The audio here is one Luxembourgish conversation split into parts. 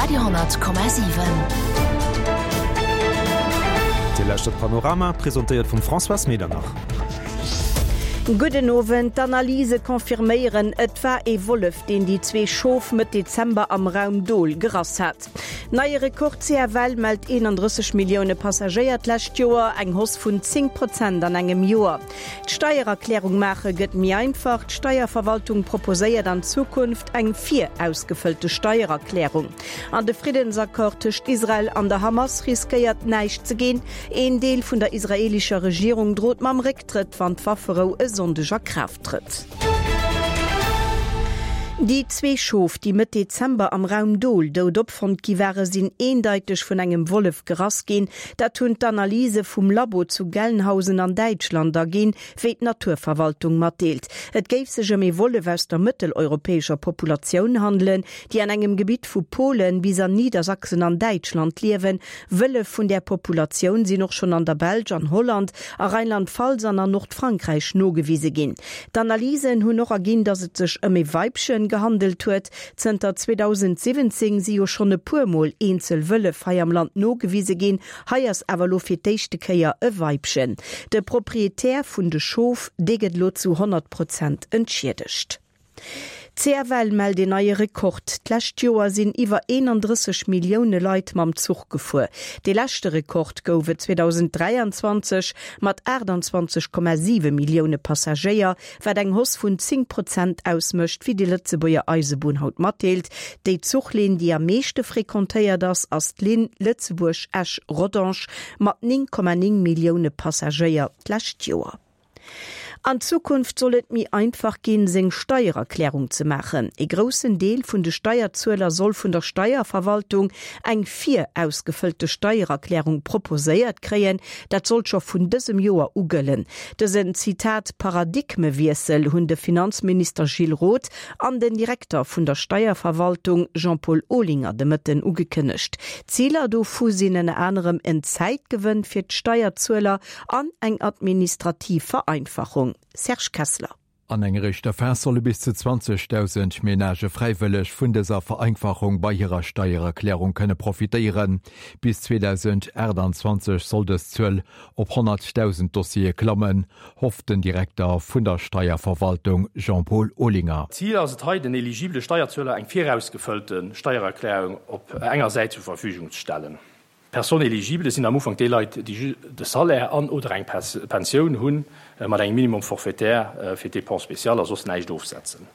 Radio,7. Dir lauschtert Panorama, presentéiert vum Françoise Medernach. Gudden Owend. D'Analyse confirméieren, et war ee Wollef, deen déi zwee Schof Mëtt Dezember am Raum Dol gerass hat. Neie Rekord, CFL mellt 31 Millioune Passagéier d'lescht Joer, eng Hausse vun 10 Prozent an engem Joer. D'Steiererklärung maache gëtt méi einfach, D'Steierverwaltung proposéiert an Zukunft eng virausgefëllte Steiererklärung. An de Friddensaccord tëscht Israel an der Hamas riskéiert näischt ze ginn. Een Deel vun der israeelescher Regierung drot mam Récktrëtt, wann d'Wafferou e Sonndeg a Kraaft trëtt. Déi zwee Schof, déi Mëtt Dezember am Raum Dol dout opfonnt gi ware sinn eendeiteg vun engem Wollef gerass ginn. Dat hunn d'Analyse vum Labo zu Gelnhausen an Däitschland erginn, wéi d'Naturverwaltung matdeelt. Et géif sech ëm ee Wollef aus der mëtteleuropäescher Populatioun handelen, déi an engem Gebitt vu Polen bis an Niedersachsen an Däitschland liewen. Wëllef vun där Populatioun sinn och schonn an der Belsch, an Holland, a Rheinland-Pfalz an an Nordfrankräich nogewise ginn. D'Analysen hunn och erginn, datt et sech ëm ee Weibchen gehandelt huet. Zënter 2017 si jo schonn e puer Mol eenzel Wëllef hei am Land nogewise ginn. Hei ass awer elo fir d'éischte Kéier e Weibchen. De Proprietär vun de Schof, dee gëtt elo zu 100 Prozent entschiedegt. D'CFL mellt een neie Rekord, D'lescht Joer sinn iwwer 31 Millioune Leit mam Zuch gefuer. Dee leschte Rekord gouf et 2023 mat 28,7 Millioune Passagéier, wat eng Hausse vun 10 Prozent ausmécht, wéi déi Lëtzebuerger Eisebunn haut matdeelt. Déi Zuchlinn, déi am meeschte frequentéiert ass, ass d'Linn Lëtzebuerg-Esch-Rodange mat 9,9 Millioune Passagéier d'lescht Joer. An Zukunft soll et méi einfach ginn, seng Steiererklärung ze maachen. Ee groussen Deel vun de Steierzueler soll vun der Steierverwaltung eng virausgefëllte Steiererklärung proposéiert kréien. Dat soll scho vun dësem Joer u gëllen. Dësen, Zitat, Paradigmewiessel hunn de Finanzminister Gilles Roth an den Direkter vun der Steierverwaltung Jean-Paul Olinger de Mëtten ugekënnegt. Ziler dovu sinn ënner anerem en Zäitgewënn fir d'Steierzueler, An eng administrativ Vereinfachung. Serge Kessler. An enger éischter Phas solle bis zu 20.000 Menagë fräiwëlleg vun dëser Vereinfachung bei hirer Steiererklärung kënne profitéieren. Bis 2028 soll dës Zuel op 100.000 Dossiere klammen, hofft den Direkter vun der Steierverwaltung Jean-Paul Olinger. Zil ass et hei, den eligibele Steierzueler eng virausgefëllte Steiererklärung op enger Säit zur Verfügung ze stellen. Personnes éligibles sinn am Ufank déi Leit, déi de Salaire an oder eng Pensioun hunn, mat engem Minimum forfaitaire fir d'Dépenses spéciales a soss näischt ofsetzen.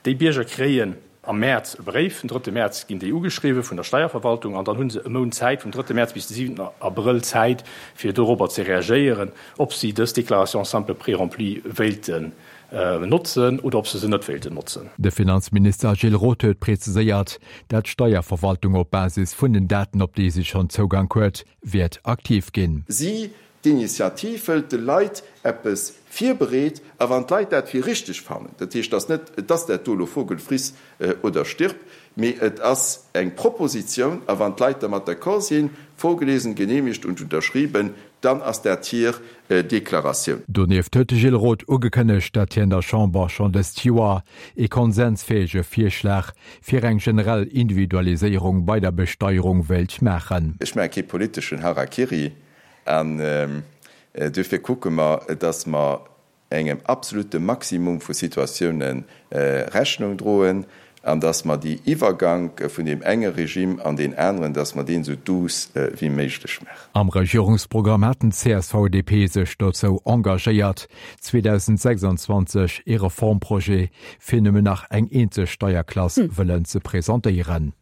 Déi Bierger kréien am Mäerz e Bréif, den drëtte Mäerz ginn déi ugeschriwwen vun der Steierverwaltung an dann hu se e Mount Zäit, vum drëtte Mäerz bis de siwenten Abrëll Zäit, fir dorobber ze reagéieren, ob si dës Déclaration simple préremplie wéilten notzen oder ob se se net wéilten notzen. De Finanzminister Gilles Roth huet preziséiert, dat d'Steierverwaltung op Basis vun den Daten, op déi si schonn Zougank huet, wäert aktiv ginn. Si, d'Initiativ wëllt de Leit eppes virbereet, a wann d'Leit dat fir richteg fannen, dat heescht, et ass net, et ass dat do elo Vogel friss oder stirb, mee et ass eng Propositioun, a wann d'Leit dermat d'accord sinn, vorgelesen, genehmigt und unterschrieben, dann ass dat hir Deklaratioun. Donieft huet de Gilles Roth ugekënnegt, datt hien der Chamber schonn dëst Joer ee konsensfäege Virschlag fir eng generell Individualiséierung bei der Besteierung wéilt maachen. Ech maache kee politeschen Harakiri an duerfir kucke mer, datt mer engem absolute Maximum vu Situatioune Rechnung droen an dass mer déi Iwwergank vun deem enge Regime an deen aneren, dass mer deen esou douce wéi méiglech maachen. Am Regierungsprogramm haten d'CSV-DP sech dozou engagéiert, 2026 ee Reformprojet fir nëmmen nach eng eenzeg Steierklass wëllen ze presentéieren.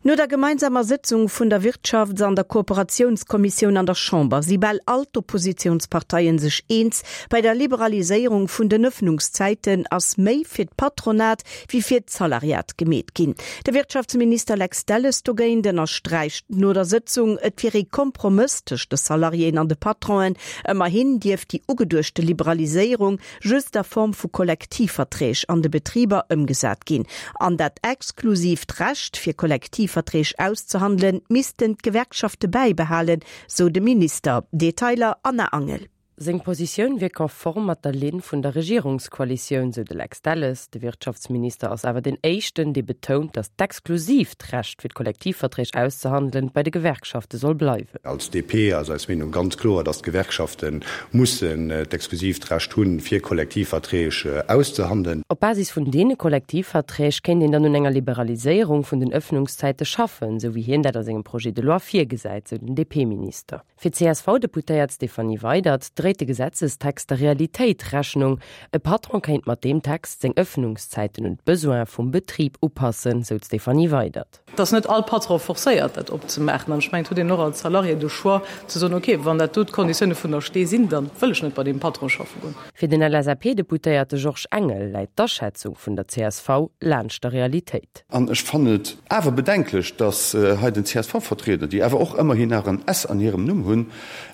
No der gemeinsamer Sëtzung vun der Wirtschafts an der Kooperatiounskommissioun an der Chamber si bal all d'Oppositiounsparteien sech eens, Bei der Liberaliséierung vun den Ëffnungszäiten ass méi fir d'Patronat wéi fir d'Salariat gemeet ginn. De Wirtschaftsminister Lex Delles dogéint ënnersträicht no der Sëtzung, et wier ee Kompromëss tëscht de Salariéen an de Patronen. Ëmmerhin dierft déi ugeduechte Liberaliséierung just a Form vu Kollektivverträg an de Betriber ëmgesat ginn. An dat exklusiivt Recht, fir Kollektivverträg auszehandelen, missten d'Gewerkschafte bäibehalen, sou de Minister. Detailer Anna Angel. Seng Positioun wier konform mat der Linn vun der Regierungskoalitioun, sou de Lex Delles. De Wirtschaftsminister ass awer deen éischten, dee betount, datt d'exklusiivt Recht fir d'Kollektivverträg auszehandelen bei de Gewerkschafte soll bleiwen. Als DP ass eis Meenung ganz kloer, datt d'Gewerkschafte mussen d'exklusiivt Recht hunn, fir Kollektivverträg auszehandelen. Op Basis vun deene Kollektivverträg kéint een dann un enger Liberaliséierung vun den Ëffnungszäite schaffen, sou wéi hien dat a sengem Projet de loi virgesäit, sou den DP-Minister. Fir d'CSV-Deputéiert Stéphanie Weydert dréit de Gesetzestext der Realitéit Rechnung. E Patron kéint mat deem Text seng Ëffnungszäiten un d'Besoine vum Betrib upassen, sou d'Stéphanie Weydert. Et ass net all Patron forcéiert, dat opzemaachen. An ech mengen, et huet een och als Salarié de Choix ze soen, okay, wann dat do d'Konditioune vun der Stee sinn, da wëll ech net bei deem Patron schaffe goen. Fir den LSAP-Deputéierte Georges Engel läit d'Aschätzung vun der csv laanscht der Realitéit. An ech fannen et awer bedenklech, datt hei den CSV-Vertrieder, déi awer och ëmmerhin nach en S an hirem Numm hunn,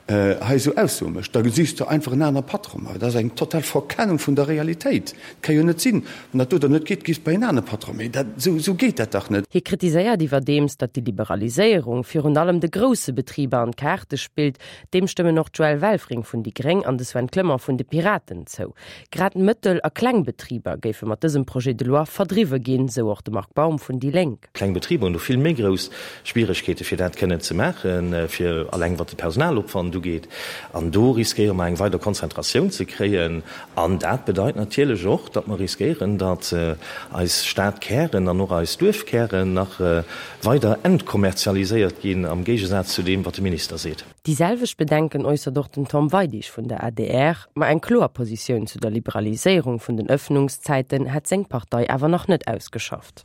hei esou Aussoe mécht. Da sichs de einfach en anere Patron. Mä dat ass eng total Verkennung vun der Realitéit. Et ka jo net sinn, wann dat do dann net geet, gees bei en anere Patron. Mee dat, esou, esou geet dat dach net. Hie kritiséiert iwwerdeems, datt déi Liberaliséierung virun allem de grousse Betriber an d'Kaarte spillt. Deem stëmmen och d'Joëlle Welfring vun déi Gréng an de Sven Clement vun de Piraten zou. Grad Mëttel a Klengbetriber géife mat dësem Projet de loi verdriwwe ginn, sou och de Marc Baum vun déi Lénk. Kleng Betriber hunn do vill méi grouss Schwieregkeete fir dat kënnen ze maachen, fir alleng wat de Personalopwand ugeet. An do riskéiere mer eng weider Konzentratioun ze kréien. An dat bedeit natierlech och, datt mer riskéieren, datt eis Stadkären an och eis Duerfkären nach weider entkommerzialiséiert ginn, am Géigesaz zu deem, wat de Minister seet. Déi selwecht Bedenken äussert och den Tom Weidig vun der adr. Ma eng kloer Positioun zu der Liberaliséierung vun den Ëffnungszäiten hätt seng Partei awer nach net ausgeschafft.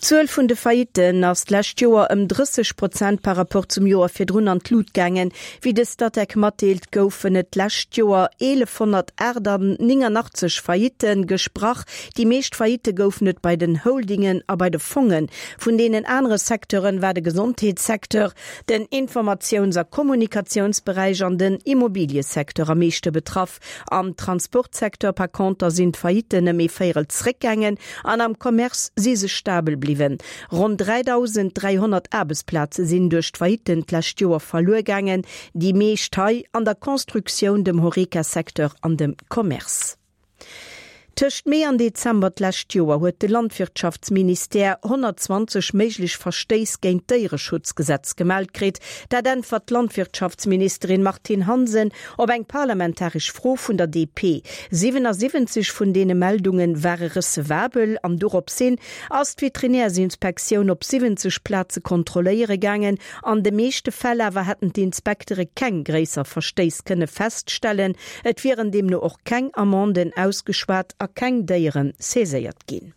D'Zuel vun de Faillitten ass d'lescht Joer ëm 30 Prozent par Rapport zum Joer virdrun an d'Lut gaangen. Wéi de Statec matdeelt, goufen et d'lescht Joer 1.189 Faillitte gesprach. Déi meescht Faillitte goufen et bei den Holdingen a bei de Fongen. Vun deenen anere Secteuren war de Gesondheetssecteur, den Informatiouns a Kommunikatiounsberäich an den Immobiliësecteur am meeschte betraff. Am Transportsecteur par conter sinn d'Faillitten ëm ee Véierel zréckgaangen an am Commerce si se stabel bliwwen. Ronn 3.300 Aarbechtsplaze sinn duerch d'Faillitten d'lescht Joer verluer gaangen, déi meescht hei an der Constructioun, dem Horeca-Secteur an dem Commerce. Tëscht Mee an Dezember d'lescht Joer huet de Landwirtschaftsministère 120 méiglech Verstéiss géint d'Déiereschutzgesetz gemellt kritt. Dat äntwert d'Landwirtschaftsministerin Martine Hansen op eng parlamentaresch Fro vun der DP. 77 vun deene Meldunge ware recevabel an doropshin ass d'Veterinärsinspektioun op 70 Plaze kontrolléiere gaangen. An de meeschte Fäll awer hätten d'Inspektere keng gréisser Verstéiss kënne feststellen. Et wieren deemno och keng Amenden ausgeschwat a keng Déiere saiséiert ginn.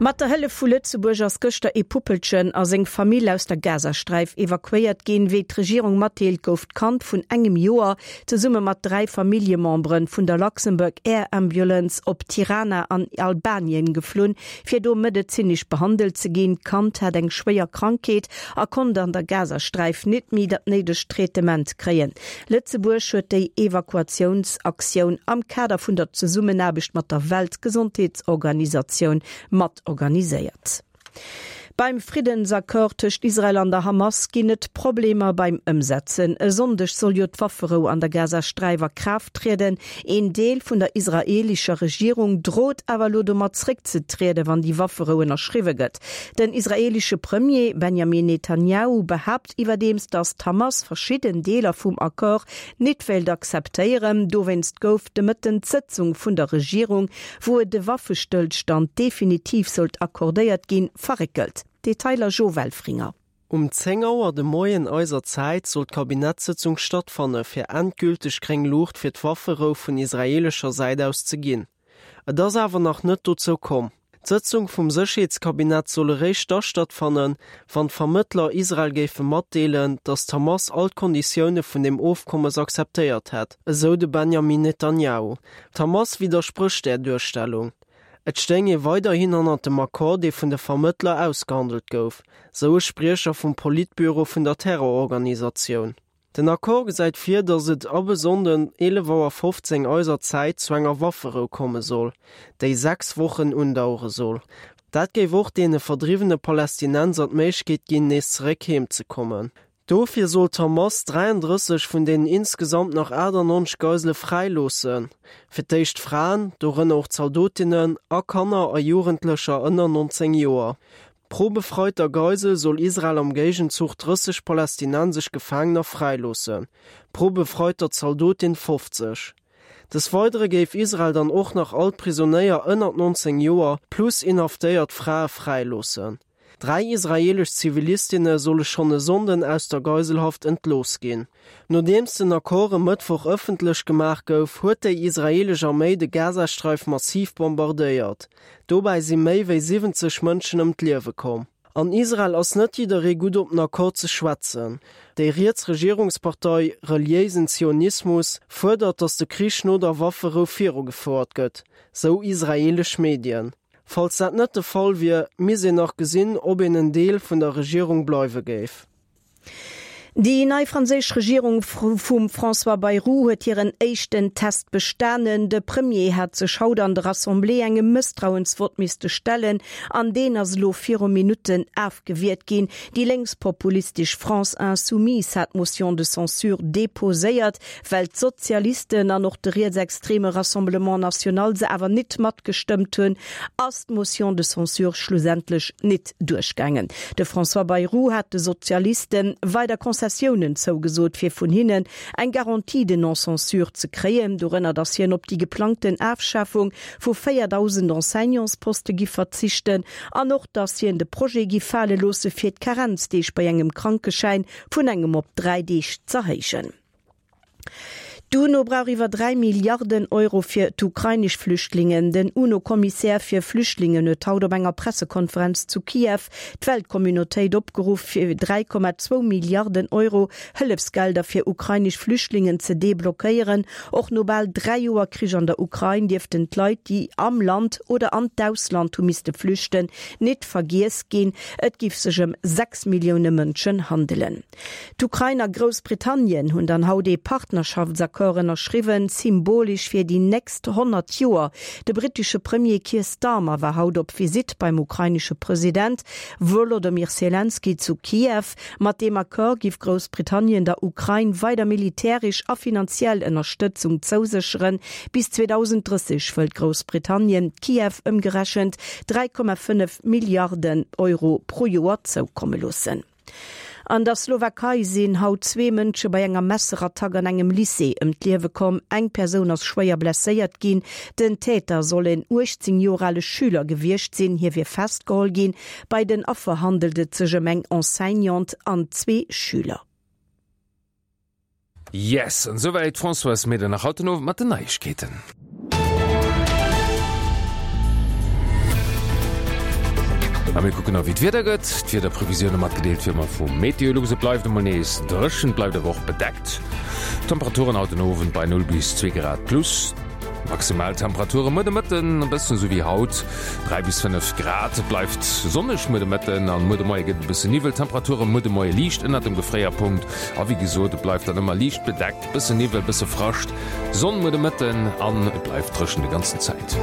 Mat der Hëllef vu Lëtzebuerg ass gëschter ee Puppelchen a seng Famill aus der Gazasträif evakuéiert ginn. Wéi d'Regierung matdeelt, gouf d'Kand vun engem Joer zesumme mat 3 Familljemembere vun der Luxembourg Air Ambulance op Tirana an Albanien geflunn, fir do medezinesch behandelt ze ginn. D'Kand hat eng schwéier Krankheet a konnt an der Gazasträif nit méi dat néidegt Traitement kréien. Lëtzebuerg huet déi Evakuatiounsaktioun am Kader vun der Zesummenaarbecht mat der Weltgesondheetsorganisatioun mat organiséiert. Beim Friddensaccord tëscht Israel an der Hamas ginn et Problemer beim Ëmsetzen. E Sonndeg soll jo d'Wafferou an der Gazasträif a Kraaft trieden. Een Deel vun der israeelescher Regierung drot awer elo domat zréckzetrieden, wann déi Wafferou ënnerschriwwe gëtt. Den israeelesche Premier Benjamin Netanjahu behaapt iwwerdeems, datt d'Hamas verschidden Deeler vum Accord nit wéilt akzeptéieren. Dowéinst gouf de Mëtten d'Sëtzung vun der Regierung wou et e Waffestëllstand definitiv sollt accordéiert ginn, verréckelt. Detailer Jo Welfringer. Um 10 Auer de Moien eiser Zäit soll d'Kabinettssëtzung stattfanne fir endgülteg gréng Luucht fir d'Wafferou vun israeelescher Säit aus ze ginn. Et ass awer nach net dozou komm. D'Sëtzung vum Sécherheetskabinett soll eréischt da stattfannen, wann d'Vermëttler Israel géife matdeelen, datt d'Hamas all d'Konditioune vun dem Ofkommes akzeptéiert hätt, esou de Benjamin Netanjahu. D'Hamas widdersprécht där Duerstellung. Et stéing ee weiderhin hannert dem Accord, dee vun de Vermëttler ausgehandelt gouf, sou e Spriecher vum Politbüro vun der Terrororganisatioun. Den Accord gesäit vir, datt et ab e Sonnden 11 Auer 15 eiser Zäit zu enger Wafferou komme soll, déi 6 Wochen undauere soll. Dat géif och deene verdriwwene Palästinenser d'Méiglechkeet ginn, nees zeréck heem ze kommen. Dofir soll d'Hamas 33 vun deenen insgesamt nach 98 Geisele fräiloossen, fir d'éischt Fraen, dorënner och Zaldotinnen, a Kanner a Jugendlecher ënner 19 Joer. Pro befreiter Geisel soll Israel am Géigenzuch 30 palästinensesch Gefaangener fräiloossen, pro befreiter Zaldotin 50. Des Weidere géif Israel dann och nach all d'Prisonéier ënnert 19 Joer plus inhaftéiert Frae fräiloossen. Dräi israeelesch Zivilistinne solle schonn e Sonnden aus der Geiselhaft entlooss ginn. Nodeems den Accord e Mëttwoch ëffentlech gemaach gouf, huet déi israeelesch Arméi de Gazasträif massiv bombardéiert. Dobäi si méi wéi 70 Mënschen ëm d'Liewe komm. An Israel ass net jidderee gutt op den Accord ze schwätzen. Déi riets Regierungspartei Reliéisen Zionismus fuerdert, datt de Krich no der Wafferou virugefouert gëtt, sou israeelesch Medien. Falls dat net de Fall wier, misst een nach gesinn, ob een en Deel vun der Regierung bleiwe géif. Déi nei franséisch Regierung vum François Bayrou huet hiren éischten Test bestanen. De Premier hat sech haut an der Assemblée engem Mësstrauensvott misste stellen an deen ass elo viru Minutten afgewiert ginn. Déi lénkspopulistesch France Insoumise hat d'Motion de censure deposéiert. Well d'Sozialisten an och de rietsextreme Rassemblement National se awer nit matgestëmmt hunn, ass d'Motion de censure schlussendlech nit duerchgaangen. De François Bayrou hat de Sozialiste weider Concessiounen zougesot, fir vun hinnen eng Garantie de non-censure ze kréien, dorënner datt hien op déi geplangten Afschafung vu 4.000 Enseignantsposte giff verzichten an och datt hien de Projet giff fale loosse fir d'Karenzdeeg bei engem Krankeschäin vun engem op 3 Deeg z'erhéijen. D'UNO brauch iwwer 3 Milliarden Euro fir d'ukrainesch Flüchtlingen. Den UNO-Kommissär fir Flüchtlingen huet haut op enger Pressekonferenz zu Kiew d'Weltcommunautéit opgeruff, fir 3,2 Milliarden Euro Hëllefsgelder fir ukrainesch Flüchtlingen ze deblockéieren. Och no bal 3 Joer Krich an der Ukrain dierften d'Leit, déi am Land oder an d'Ausland hu misste flüchten, nit vergiess ginn. Et giff sech ëm 6 Millioune Mënschen handelen. D'Ukrain a Groussbritannien hunn dann haut ee Partnerschaftsaccord ënnerschriwwen, symbolesch fir déi nächst 100 Joer. De brittesche Premier Keir Starmer war haut op Visitt beim ukrainesche President Wolodomyr Selenskyj zu Kiew. Mat deem Accord giff Groussbritannien der Ukrain weider militäresch a finanziell Ënnerstëtzung zousécheren. Bis 2030 wëllt Groussbritannien Kiew ëmgerechent 3,5 Milliarden Euro pro Joer zoukomme loossen. An der Slowakei sinn haut zwee Mënsche bei enger Messerattack an engem Lycée ëm d'Liewe komm. Eng Persoun ass schwéier blesséiert ginn. Den Täter soll en 18 Joer ale Schüler gewiescht sinn. Hie wier festgeholl ginn. Bei den Affer handelt et sech ëm eng Enseignante an zwee Schüler. Yes, an esouwäit d'Françoise Medernach haut den Owend mat den Neiegkeeten. A mir kucken nach wéi d'Wieder gëtt. D'Wiederprevisioune matgedeelt wéi ëmmer vu Meteolux. Et bleift emol nees dréchen, bleift awer och bedeckt. Temperaturen haut den Owend bei 0 bis 2 Grad plus. Maximal Temperature muer de Mëtten e bëssen esou wéi haut, 3 bis 5 Grad. Et bleift sonneg muer de Mëtten an muer de Moie gëtt et e bësse Niwwel. Temperature muer de Moie liicht ënnert dem Gefréierpunkt a wéi gesot, et bleift dann ëmmer liicht bedeckt, bësse Niwwel, bësse Frascht, Sonn muer de Mëtten an et bleift dréchen de ganzen Zäit.